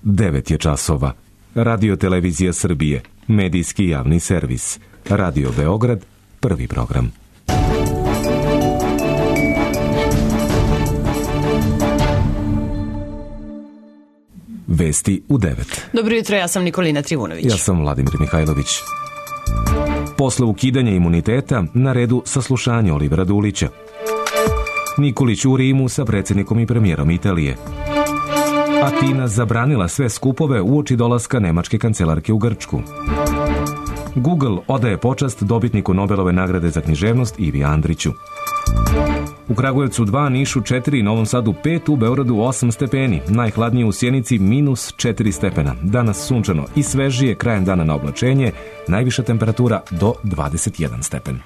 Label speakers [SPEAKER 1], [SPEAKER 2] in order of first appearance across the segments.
[SPEAKER 1] 9 je časova. Radio Televizija Srbije, medijski javni servis. Radio Beograd, prvi program. Vesti u 9.
[SPEAKER 2] Dobro jutro, ja sam Nikolina Trivunović.
[SPEAKER 1] Ja sam Vladimir Mihajlović. Posle ukidanja imuniteta, na redu saslušanje Olivera Dulića. Nikolić u Rimu sa predsjednikom i premijerom Italije. Atina zabranila sve skupove uoči dolaska nemačke kancelarke u Grčku. Google odaje počast dobitniku Nobelove nagrade za književnost Ivi Andriću. U Kragujevcu 2, Nišu 4, Novom Sadu 5, u Beogradu 8 stepeni. Najhladnije u Sjenici -4 stepena. Danas sunčano i svežije, krajem dana na oblačenje, najviša temperatura do 21 stepen.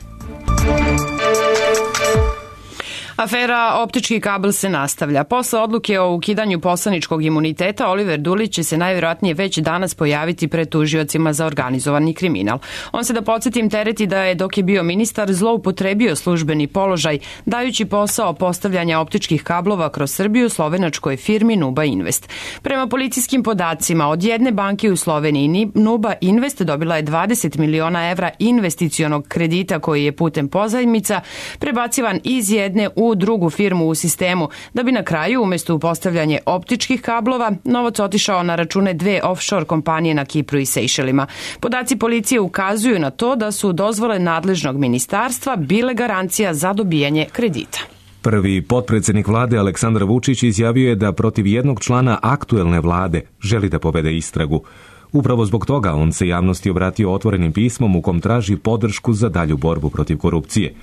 [SPEAKER 2] Afera optički kabel se nastavlja. Posle odluke o ukidanju poslaničkog imuniteta, Oliver Dulić će se najvjerojatnije već danas pojaviti pred tužiocima za organizovani kriminal. On se, da podsjetim, tereti da je, dok je bio ministar, zloupotrebio službeni položaj, dajući posao postavljanja optičkih kablova kroz Srbiju slovenačkoj firmi Nuba Invest. Prema policijskim podacima, od jedne banke u Sloveniji Nuba Invest dobila je 20 miliona evra investicionog kredita koji je putem pozajmica prebacivan iz jedne u drugu firmu u sistemu, da bi na kraju, umjesto u postavljanje optičkih kablova, novac otišao na račune dve offshore kompanije na Kipru i Sejšelima. Podaci policije ukazuju na to da su dozvole nadležnog ministarstva bile garancija za dobijanje kredita.
[SPEAKER 1] Prvi potpredsjednik vlade Aleksandar Vučić izjavio je da protiv jednog člana aktuelne vlade želi da povede istragu. Upravo zbog toga on se javnosti obratio otvorenim pismom u kom traži podršku za dalju borbu protiv korupcije.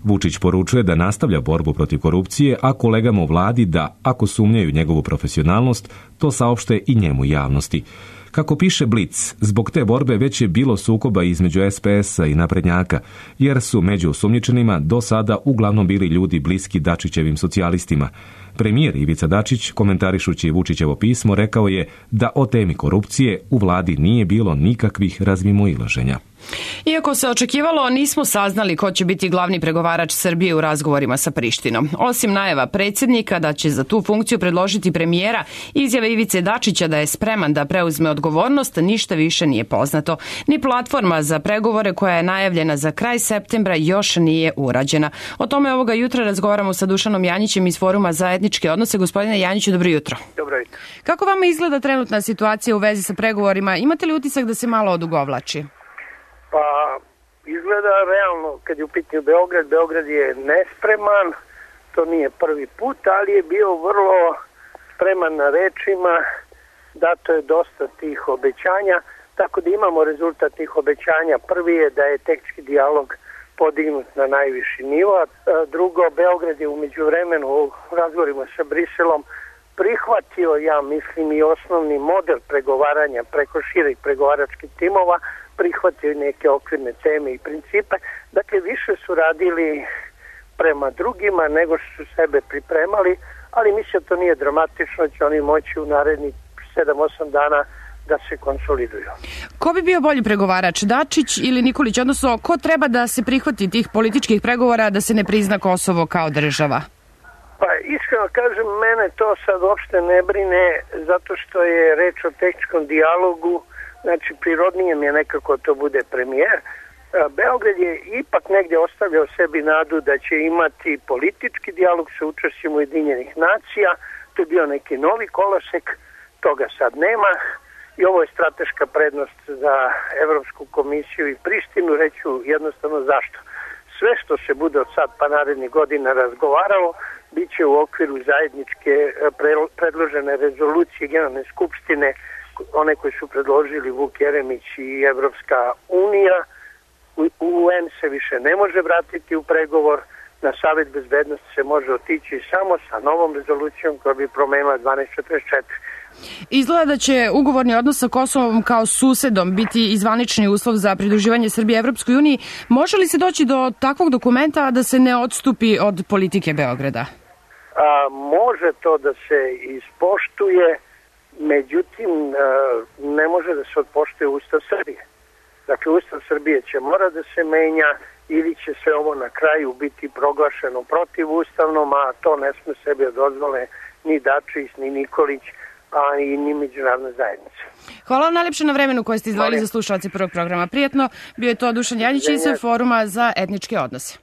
[SPEAKER 1] Vučić poručuje da nastavlja borbu protiv korupcije, a kolegama u vladi da, ako sumnjaju njegovu profesionalnost, to saopšte i njemu javnosti. Kako piše Blic, zbog te borbe već je bilo sukoba između SPS-a i naprednjaka, jer su među osumnjičenima do sada uglavnom bili ljudi bliski Dačićevim socijalistima. Premijer Ivica Dačić, komentarišući Vučićevo pismo, rekao je da o temi korupcije u vladi nije bilo nikakvih razmimoilaženja.
[SPEAKER 2] Iako se očekivalo, nismo saznali ko će biti glavni pregovarač Srbije u razgovorima sa Prištinom. Osim najava predsjednika da će za tu funkciju predložiti premijera, izjave Ivice Dačića da je spreman da preuzme odgovornost, ništa više nije poznato. Ni platforma za pregovore koja je najavljena za kraj septembra još nije urađena. O tome ovoga jutra razgovaramo sa Dušanom Janjićem iz Foruma za etničke odnose. Gospodine Janjiću, dobro jutro.
[SPEAKER 3] Dobro jutro.
[SPEAKER 2] Kako vama izgleda trenutna situacija u vezi sa pregovorima? Imate li utisak da se malo odugovlači?
[SPEAKER 3] Pa, izgleda realno, kad je u pitanju Beograd je nespreman, to nije prvi put, ali je bio vrlo spreman na rečima, dato je dosta tih obećanja, tako da imamo rezultat tih obećanja. Prvi je da je tehnički dijalog podignut na najviši nivo, a drugo, Beograd je u međuvremenu u razgovorima sa Briselom prihvatio, ja mislim, i osnovni model pregovaranja preko širih pregovaračkih timova, prihvatio neke okvirne teme i principe. Dakle, više su radili prema drugima nego što su sebe pripremali, ali mislim da to nije dramatično, će oni moći u narednih 7-8 dana da se konsoliduju.
[SPEAKER 2] Ko bi bio bolji pregovarač, Dačić ili Nikolić? Odnosno, ko treba da se prihvati tih političkih pregovora da se ne prizna Kosovo kao država?
[SPEAKER 3] Pa iskreno kažem, mene to sad uopšte ne brine, zato što je reč o tehničkom dijalogu. Znači, prirodnije mi je nekako to bude premijer. Beograd je ipak negdje ostavljao sebi nadu da će imati politički dijalog sa učešćem Ujedinjenih nacija. To je bio neki novi kolosek, toga sad nema. I ovo je strateška prednost za Evropsku komisiju i Prištinu. Reću jednostavno zašto. Sve što se bude od sad pa narednih godina razgovaralo, bit će u okviru zajedničke predložene rezolucije Generalne skupštine, one koje su predložili Vuk Jeremić i Evropska unija. UN se više ne može vratiti u pregovor, na Savet bezbednosti se može otići samo sa novom rezolucijom koja bi promenila 1244.
[SPEAKER 2] Izgleda da će ugovorni odnos sa Kosovom kao susedom biti izvanični uslov za pridruživanje Srbije Evropskoj uniji. Može li se doći do takvog dokumenta da se ne odstupi od politike Beograda?
[SPEAKER 3] Može to da se ispoštuje, međutim ne može da se odpoštuje Ustav Srbije. Dakle, Ustav Srbije će mora da se menja ili će sve ovo na kraju biti proglašeno protivustavnom, a to ne sme sebi dozvole ni Dačić, ni Nikolić, a i ni međunarodna zajednica.
[SPEAKER 2] Hvala vam najlepše na vremenu koje ste izdvojili za slušalce prvog programa. Prijetno, bio je to Dušan Janjić iz Foruma za etničke odnose.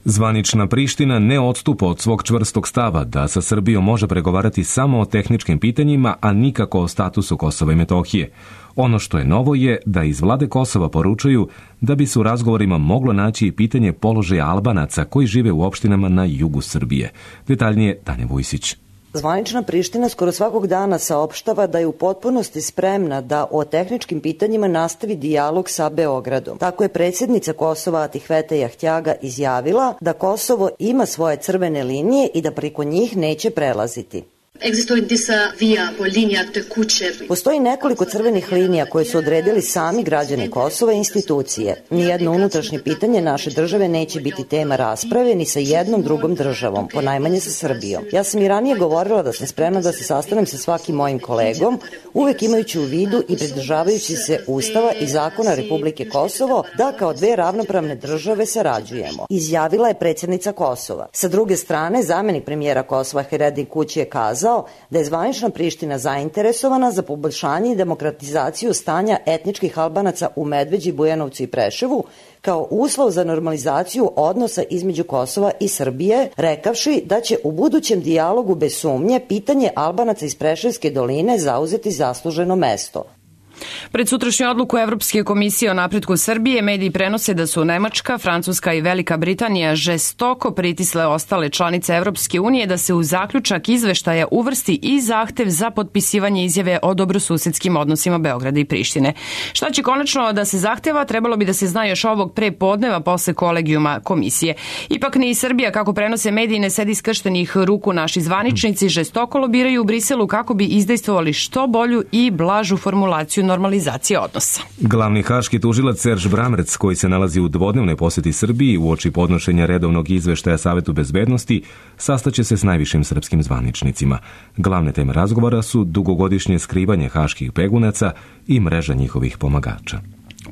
[SPEAKER 1] Zvanična Priština ne odstupa od svog čvrstog stava da sa Srbijom može pregovarati samo o tehničkim pitanjima, a nikako o statusu Kosova i Metohije. Ono što je novo je da iz vlade Kosova poručuju da bi se u razgovorima moglo naći i pitanje položaja Albanaca koji žive u opštinama na jugu Srbije. Detaljnije Tanja Vujsić.
[SPEAKER 4] Zvanična Priština skoro svakog dana saopštava da je u potpunosti spremna da o tehničkim pitanjima nastavi dijalog sa Beogradom. Tako je predsjednica Kosova Atihvete Jahtjaga izjavila da Kosovo ima svoje crvene linije i da preko njih neće prelaziti. Postoji nekoliko crvenih linija koje su odredili sami građani Kosova i institucije. Nijedno unutrašnje pitanje naše države neće biti tema rasprave ni sa jednom drugom državom, ponajmanje sa Srbijom. Ja sam i ranije govorila da sam spremna da se sastanem sa svakim mojim kolegom, uvek imajući u vidu i pridržavajući se Ustava i zakona Republike Kosovo da kao dve ravnopravne države sarađujemo, izjavila je predsjednica Kosova. Sa druge strane, zamenik premijera Kosova Heredin Kući je kazao da je zvanična Priština zainteresovana za poboljšanje i demokratizaciju stanja etničkih Albanaca u Medveđi, Bujanovcu i Preševu kao uslov za normalizaciju odnosa između Kosova i Srbije, rekavši da će u budućem dijalogu bez sumnje pitanje Albanaca iz Preševske doline zauzeti zasluženo mesto.
[SPEAKER 2] Pred sutrašnju odluku Evropske komisije o napretku Srbije mediji prenose da su Nemačka, Francuska i Velika Britanija žestoko pritisle ostale članice Evropske unije da se u zaključak izveštaja uvrsti i zahtev za potpisivanje izjave o dobrosusedskim odnosima Beograda i Prištine. Šta će konačno da se zahteva, trebalo bi da se zna još ovog pre podneva posle kolegijuma komisije. Ipak ni Srbija, kako prenose mediji, ne sedi skrštenih ruku. Naši zvaničnici žestoko lobiraju u Briselu kako bi izdejstvovali što bolju i blažu formulaciju normalizacije odnosa.
[SPEAKER 1] Glavni haški tužilac Serž Bramrec, koji se nalazi u dvodnevnoj poseti Srbiji uoči podnošenja redovnog izveštaja Savetu bezbednosti, sastaće se s najvišim srpskim zvaničnicima. Glavne teme razgovora su dugogodišnje skrivanje haških begunaca i mreža njihovih pomagača.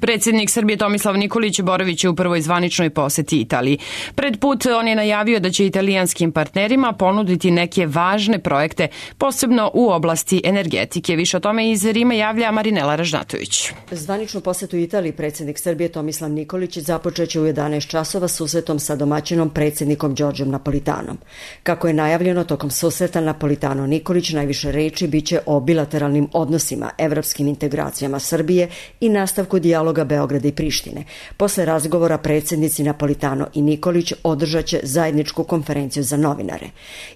[SPEAKER 2] Predsjednik Srbije Tomislav Nikolić boraviće u prvoj zvaničnoj poseti Italiji. Pred put on je najavio da će italijanskim partnerima ponuditi neke važne projekte, posebno u oblasti energetike. Više o tome iz Rima javlja Marinela Ražnatović.
[SPEAKER 5] Zvaničnu posetu Italiji predsjednik Srbije Tomislav Nikolić započeće u 11 časova susretom sa domaćinom predsjednikom Đorđem Napolitanom. Kako je najavljeno, tokom susreta Napolitano Nikolić najviše reči biće o bilateralnim odnosima, evropskim integracijama Srbije i nastavku dijaloga Beograda i Prištine. Posle razgovora predsjednici Napolitano i Nikolić održat će zajedničku konferenciju za novinare.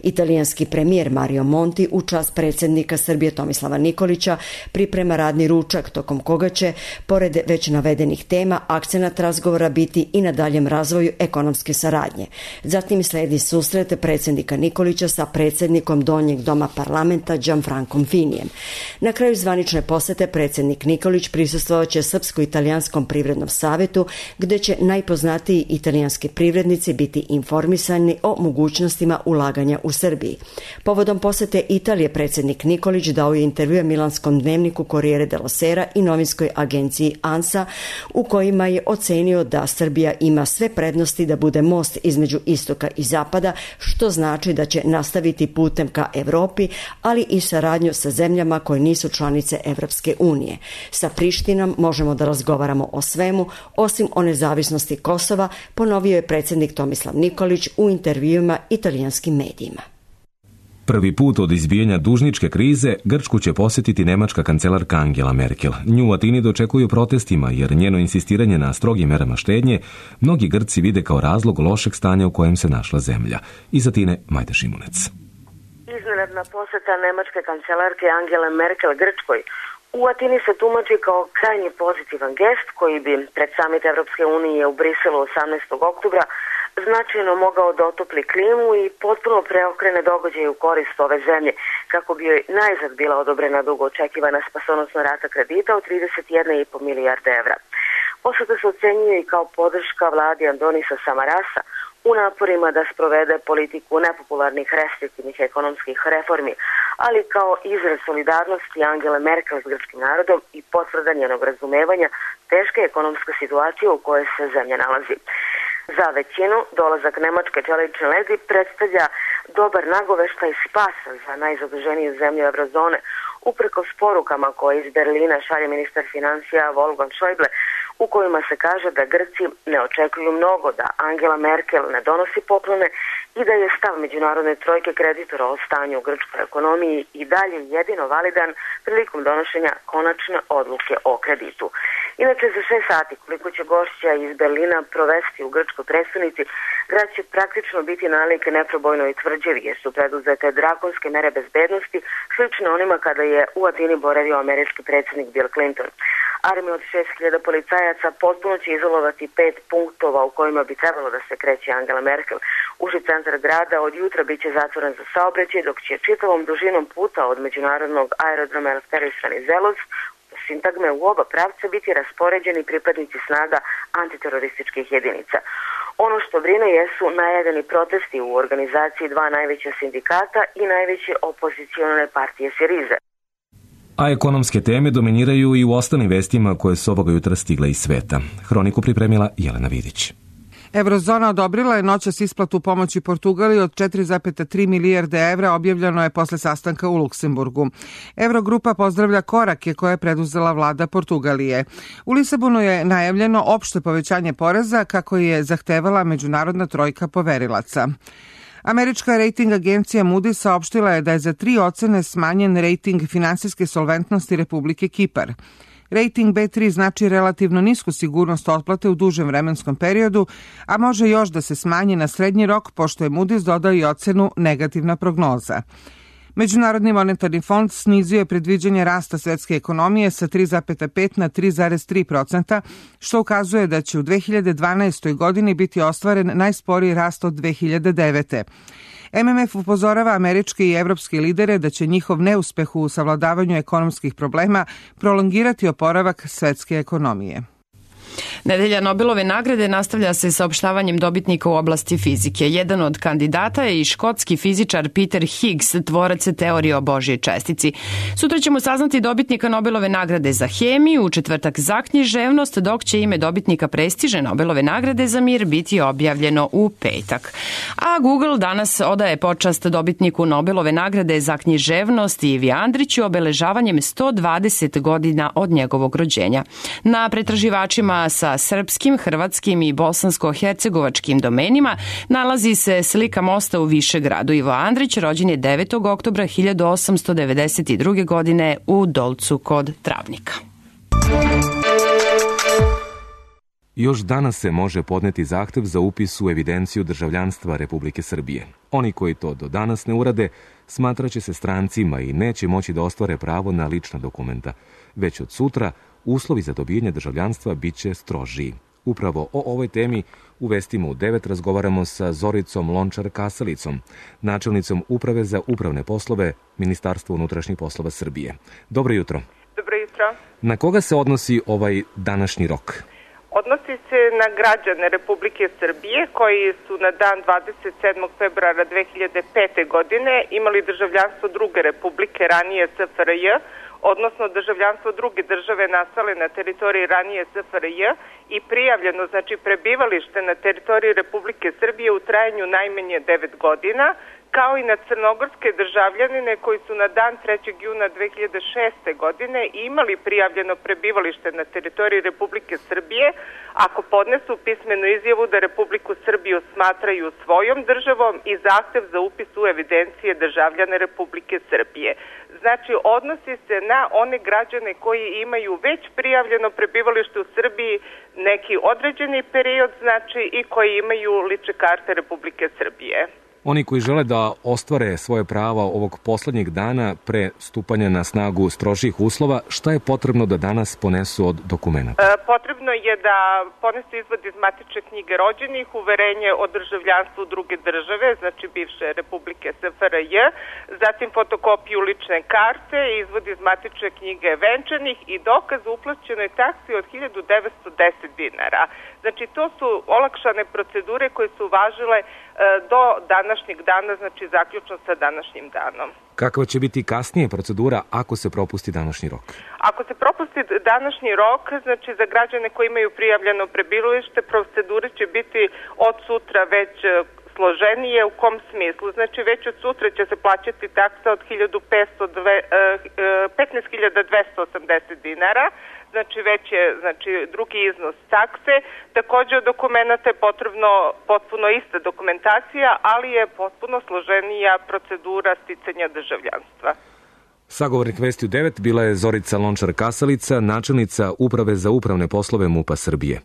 [SPEAKER 5] Italijanski premijer Mario Monti u čast predsjednika Srbije Tomislava Nikolića priprema radni ručak tokom koga će, pored već navedenih tema, akcenat razgovora biti i na daljem razvoju ekonomske saradnje. Zatim sledi susret predsjednika Nikolića sa predsjednikom Donjeg doma parlamenta Gianfrancom Finijem. Na kraju zvanične posete predsjednik Nikolić prisustvovaće Srpsko-italijanskom privrednom savetu, gde će najpoznatiji italijanski privrednici biti informisani o mogućnostima ulaganja u Srbiji. Povodom posete Italije predsjednik Nikolić dao je intervjue milanskom dnevniku Corriere dello Sera i novinskoj agenciji ANSA, u kojima je ocenio da Srbija ima sve prednosti da bude most između istoka i zapada, što znači da će nastaviti putem ka Evropi, ali i saradnju sa zemljama koje nisu članice Evropske unije. Sa Prištinom možemo da razgovaramo o svemu, osim o nezavisnosti Kosova, ponovio je predsjednik Tomislav Nikolić u intervjuima italijanskim medijima.
[SPEAKER 1] Prvi put od izbijanja dužničke krize Grčku će posjetiti nemačka kancelarka Angela Merkel. Nju u Atini dočekuju protestima jer njeno insistiranje na strogim merama štednje mnogi Grci vide kao razlog lošeg stanja u kojem se našla zemlja. Iz Atine Majda Šimunec.
[SPEAKER 6] Iznenadna poseta nemačke kancelarke Angele Merkel Grčkoj u Atini se tumači kao krajnje pozitivan gest koji bi pred samit Evropske unije u Briselu 18. oktobra značajno mogao da otopli klimu i potpuno preokrene događaje u korist ove zemlje, kako bi joj najzad bila odobrena dugo očekivana spasonosna rata kredita od 31,5 milijarde evra. Poseta se ocenjuje i kao podrška vladi Andonisa Samarasa u naporima da sprovede politiku nepopularnih restriktivnih ekonomskih reformi, ali kao izraz solidarnosti Angele Merkel s grčkim narodom i potvrda njenog razumevanja teške ekonomske situacije u kojoj se zemlja nalazi. Za većinu dolazak nemačke čelične ledi predstavlja dobar nagoveštaj spasa za najzaduženiju zemlju Eurozone, uprkos porukama koje iz Berlina šalje ministar financija Wolfgang Schäuble, u kojima se kaže da Grci ne očekuju mnogo, da Angela Merkel ne donosi poklone i da je stav međunarodne trojke kreditora o stanju u grčkoj ekonomiji i dalje jedino validan prilikom donošenja konačne odluke o kreditu. Inače, za 6 sati koliko će gošća iz Berlina provesti u grčkoj prestonici, grad će praktično biti nalik neprobojnoj tvrđavi jer su preduzete drakonske mere bezbednosti, slične onima kada je u Atini boravio američki predsjednik Bill Clinton. Armija od 6.000 policajaca potpuno će izolovati 5 punktova u kojima bi trebalo da se kreće Angela Merkel. Uži centar grada od jutra biće zatvoren za saobraćaj, dok će čitavom dužinom puta od međunarodnog aerodroma Eleftheris Venizelos sintagme u oba pravca biti raspoređeni pripadnici snaga antiterorističkih jedinica. Ono što brine jesu najavljeni protesti u organizaciji 2 najveća sindikata i najveće opozicione partije Sirize.
[SPEAKER 1] A ekonomske teme dominiraju i u ostalim vestima koje su ovoga jutra stigle iz sveta. Hroniku pripremila Jelena Vidić.
[SPEAKER 7] Eurozona odobrila je noćas isplatu pomoći Portugaliji od 4,3 milijarde evra, objavljeno je posle sastanka u Luksemburgu. Eurogrupa pozdravlja korake koje je preduzela vlada Portugalije. U Lisabonu je najavljeno opšte povećanje poreza kako je zahtevala međunarodna trojka poverilaca. Američka rejting agencija Moody's saopštila je da je za 3 ocene smanjen rejting finansijske solventnosti Republike Kipar. Rating B3 znači relativno nisku sigurnost otplate u dužem vremenskom periodu, a može još da se smanji na srednji rok, pošto je Moody's dodao i ocenu negativna prognoza. Međunarodni monetarni fond snizio je predviđanje rasta svetske ekonomije sa 3,5 na 3,3%, što ukazuje da će u 2012. godini biti ostvaren najsporiji rast od 2009. MMF upozorava američke i evropske lidere da će njihov neuspeh u savladavanju ekonomskih problema prolongirati oporavak svetske ekonomije.
[SPEAKER 2] Nedelja Nobelove nagrade nastavlja se saopštavanjem dobitnika u oblasti fizike. Jedan od kandidata je i škotski fizičar Peter Higgs, tvorac teorije o Božjoj čestici. Sutra ćemo saznati dobitnika Nobelove nagrade za hemiju, u četvrtak za književnost, dok će ime dobitnika prestižne Nobelove nagrade za mir biti objavljeno u petak. A Google danas odaje počast dobitniku Nobelove nagrade za književnost Ivi Andriću obeležavanjem 120 godina od njegovog rođenja. Na pretraživačima sa srpskim, hrvatskim i bosansko-hercegovačkim domenima nalazi se slika mosta u Višegradu. Ivo Andrić rođen je 9. oktobra 1892. godine u Dolcu kod Travnika.
[SPEAKER 1] Još danas se može podneti zahtev za upis u evidenciju državljanstva Republike Srbije. Oni koji to do danas ne urade, smatraće se strancima i neće moći da ostvare pravo na lična dokumenta. Već od sutra uslovi za dobijanje državljanstva biće strožiji. Upravo o ovoj temi u vestima u 9 razgovaramo sa Zoricom Lončar-Kasalicom, načelnicom Uprave za upravne poslove Ministarstva unutrašnjih poslova Srbije. Dobro jutro.
[SPEAKER 8] Dobro jutro.
[SPEAKER 1] Na koga se odnosi ovaj današnji rok?
[SPEAKER 8] Odnosi se na građane Republike Srbije koji su na dan 27. februara 2005. godine imali državljanstvo druge republike, ranije SFRJ, odnosno državljanstvo druge države nastale na teritoriji ranije SFRJ i prijavljeno, znači prebivalište na teritoriji Republike Srbije u trajanju najmanje 9 godina, kao i na crnogorske državljanine koji su na dan 3. juna 2006. godine imali prijavljeno prebivalište na teritoriji Republike Srbije, ako podnesu pismenu izjavu da Republiku Srbiju smatraju svojom državom i zahtev za upis u evidencije državljane Republike Srbije. Znači, odnosi se na one građane koji imaju već prijavljeno prebivalište u Srbiji neki određeni period, znači i koji imaju lične karte Republike Srbije.
[SPEAKER 1] Oni koji žele da ostvare svoje prava ovog poslednjeg dana pre stupanja na snagu strožih uslova, šta je potrebno da danas ponesu od dokumenta?
[SPEAKER 8] Potrebno je da ponesu izvod iz matične knjige rođenih, uverenje o državljanstvu druge države, znači bivše Republike SFRJ, zatim fotokopiju lične karte, izvod iz matične knjige venčanih i dokaz o uplaćenoj taksi od 1910 dinara. Znači, to su olakšane procedure koje su važile do današnjeg dana, znači zaključno sa današnjim danom.
[SPEAKER 1] Kakva će biti kasnije procedura ako se propusti današnji rok?
[SPEAKER 8] Ako se propusti današnji rok, znači za građane koji imaju prijavljeno prebivalište, procedure će biti od sutra već složenije. U kom smislu? Znači već od sutra će se plaćati taksa od 15.280 dinara, znači već je drugi iznos takse. Takođe od dokumenta je potrebno potpuno ista dokumentacija, ali je potpuno složenija procedura sticanja državljanstva.
[SPEAKER 1] Sagovornik Vesti u 9 bila je Zorica Lončar-Kasalica, načelnica Uprave za upravne poslove MUP-a Srbije.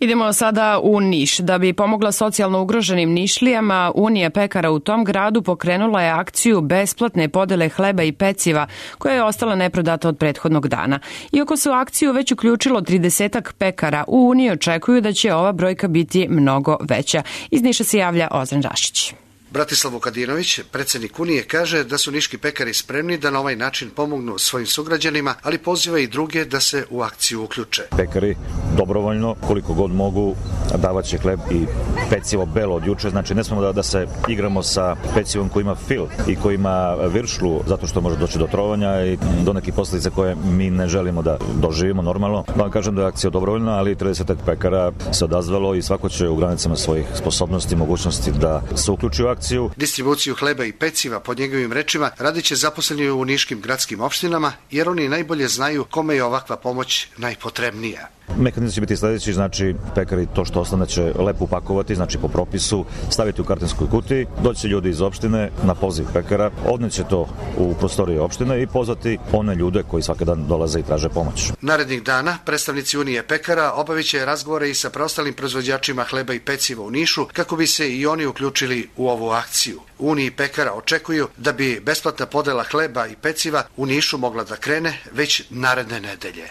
[SPEAKER 2] Idemo sada u Niš. Da bi pomogla socijalno ugroženim Nišlijama, Unija pekara u tom gradu pokrenula je akciju besplatne podele hleba i peciva, koja je ostala neprodata od prethodnog dana. Iako se u akciju već uključilo 30 pekara, u Uniji očekuju da će ova brojka biti mnogo veća. Iz Niša se javlja Ozren Rašić.
[SPEAKER 9] Bratislav Vukadinović, predsjednik Unije, kaže da su niški pekari spremni da na ovaj način pomognu svojim sugrađanima, ali poziva i druge da se u akciju uključe.
[SPEAKER 10] Pekari dobrovoljno, koliko god mogu, davat će hleb i pecivo belo od juče. Znači ne smemo da se igramo sa pecivom koji ima fil i koji ima viršlu, zato što može doći do trovanja i do nekih posljedica koje mi ne želimo da doživimo normalno. Da vam kažem da je akcija dobrovoljna, ali 30 pekara se odazvalo i svako će u granicama svojih sposobnosti i mogućnosti da se uključi u akciju.
[SPEAKER 9] Distribuciju hleba i peciva, pod njegovim rečima, radit će zaposleni u niškim gradskim opštinama, jer oni najbolje znaju kome je ovakva pomoć najpotrebnija.
[SPEAKER 10] Mehanizam će biti sljedeći, znači pekari to što ostane će lepo upakovati, znači po propisu, staviti u kartonskoj kutiji, doći ljudi iz opštine na poziv pekara, odneće to u prostorije opštine i pozvati one ljude koji svaki dan dolaze i traže pomoć.
[SPEAKER 9] Narednih dana predstavnici Unije pekara obavit će razgovore i sa preostalim proizvođačima hleba i peciva u Nišu, kako bi se i oni uključili u ovu akciju. Uniji pekara očekuju da bi besplatna podela hleba i peciva u Nišu mogla da krene već naredne nedelje.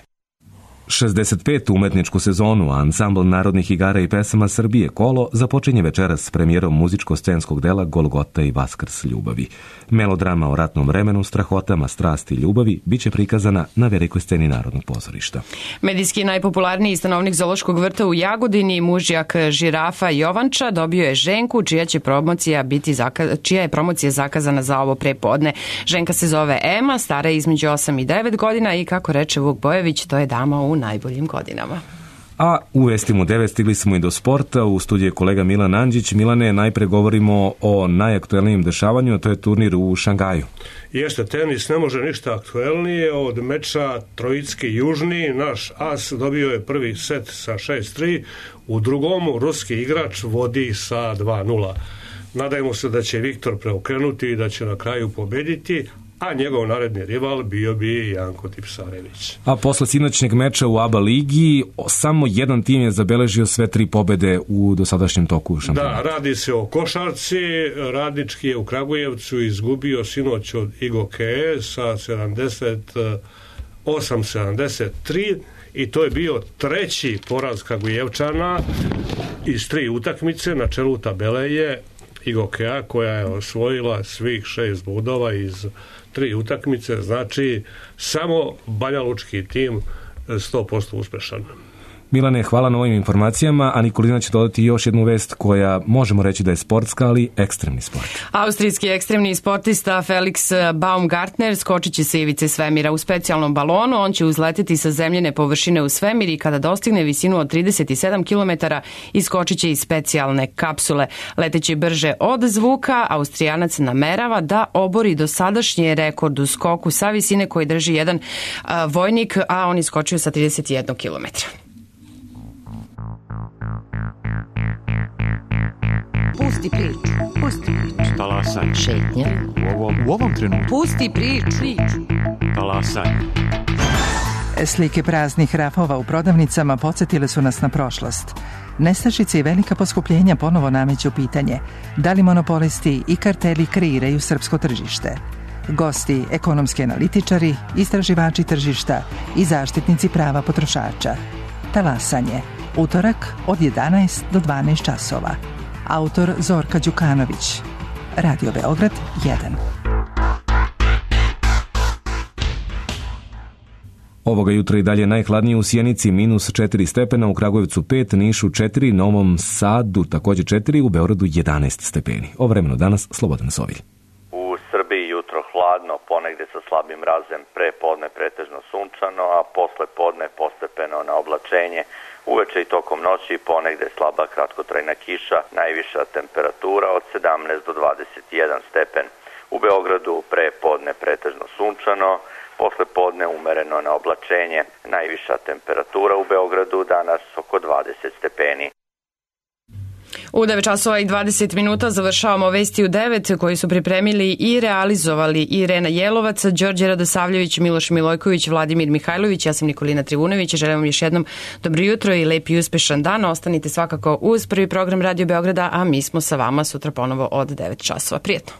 [SPEAKER 1] 65. umetničku sezonu ansambl narodnih igara i pesama Srbije Kolo započinje večeras s premijerom muzičko-scenskog dela Golgota i Vaskrs ljubavi. Melodrama o ratnom vremenu, strahotama, strasti i ljubavi biće prikazana na velikoj sceni Narodnog pozorišta.
[SPEAKER 2] Medijski najpopularniji stanovnik Zoološkog vrta u Jagodini, mužjak žirafa Jovanča, dobio je ženku čija je promocija zakazana za ovo prepodne. Ženka se zove Ema, stara je između 8 i 9 godina i kako reče Vuk Bojević, to je dama u najboljim godinama.
[SPEAKER 1] A u Vestimu 9 stigli smo i do sporta. U studiju je kolega Milan Andžić. Milane, najpre govorimo o najaktuelnijem dešavanju, a to je turnir u Šangaju.
[SPEAKER 11] Jeste, tenis ne može ništa aktuelnije od meča Trojicki-Južni. Naš as dobio je prvi set sa 6-3, u drugom ruski igrač vodi sa 2-0. Nadajmo se da će Viktor preokrenuti i da će na kraju pobediti, a njegov naredni rival bio bi Janko Tipsarević.
[SPEAKER 1] A posle sinoćnjeg meča u ABA ligi, samo jedan tim je zabeležio sve 3 pobede u dosadašnjem toku šampionata.
[SPEAKER 11] Da, radi se o košarci. Radnički je u Kragujevcu izgubio sinoć od IGOKE sa 78-73 i to je bio treći poraz Kragujevčana iz 3 utakmice. Na čelu tabele je IGOKEA koja je osvojila svih 6 bodova iz 3 utakmice, znači samo banjalučki tim 100% uspešan.
[SPEAKER 1] Milane, hvala na ovim informacijama, a Nikolina će dodati još jednu vest koja možemo reći da je sportska, ali ekstremni sport.
[SPEAKER 2] Austrijski ekstremni sportista Felix Baumgartner skočit će sa ivice svemira u specijalnom balonu. On će uzleteti sa zemljene površine u svemir i kada dostigne visinu od 37 km iskočit će iz specijalne kapsule. Leteći brže od zvuka, Austrijanac namerava da obori dosadašnji rekord u skoku sa visine koji drži jedan vojnik, a on iskočio sa 31 km.
[SPEAKER 12] Pusti priču.
[SPEAKER 13] Talasaj.
[SPEAKER 12] Šetnja.
[SPEAKER 13] U ovom trenutku.
[SPEAKER 12] Pusti priču.
[SPEAKER 13] Talasaj.
[SPEAKER 14] Slike praznih rafova u prodavnicama podsjetile su nas na prošlost. Nestašice i velika poskupljenja ponovo nameću pitanje da li monopolisti i karteli kreiraju srpsko tržište. Gosti, ekonomski analitičari, istraživači tržišta i zaštitnici prava potrošača. Talasanje. Utorak od 11 do 12 časova. Autor Zorka Đukanović. Radio Beograd 1.
[SPEAKER 1] Ovoga jutra i dalje najhladnije u Sjenici -4 stepena, u Kragujevcu 5, Nišu 4, Novom Sadu također 4, u Beogradu 11 stepeni. O vremenu danas Slobodan Sovilj.
[SPEAKER 15] U Srbiji jutro hladno, ponegde sa slabim mrazem, pre podne pretežno sunčano, a posle podne postepeno na oblačenje. Uveče i tokom noći ponegde slaba kratkotrajna kiša, najviša temperatura od 17 do 21 stepen. U Beogradu pre podne pretežno sunčano, posle podne umereno na oblačenje. Najviša temperatura u Beogradu danas oko 20 stepeni.
[SPEAKER 2] U 9 časova i 20 minuta završavamo Vesti u 9 koji su pripremili i realizovali Irena Jelovac, Đorđe Radosavljević, Miloš Milojković, Vladimir Mihajlović, ja sam Nikolina Trivunović. Želim vam još jednom dobro jutro i lep i uspešan dan. Ostanite svakako uz prvi program Radio Beograda, a mi smo sa vama sutra ponovo od 9 časova. Prijetno!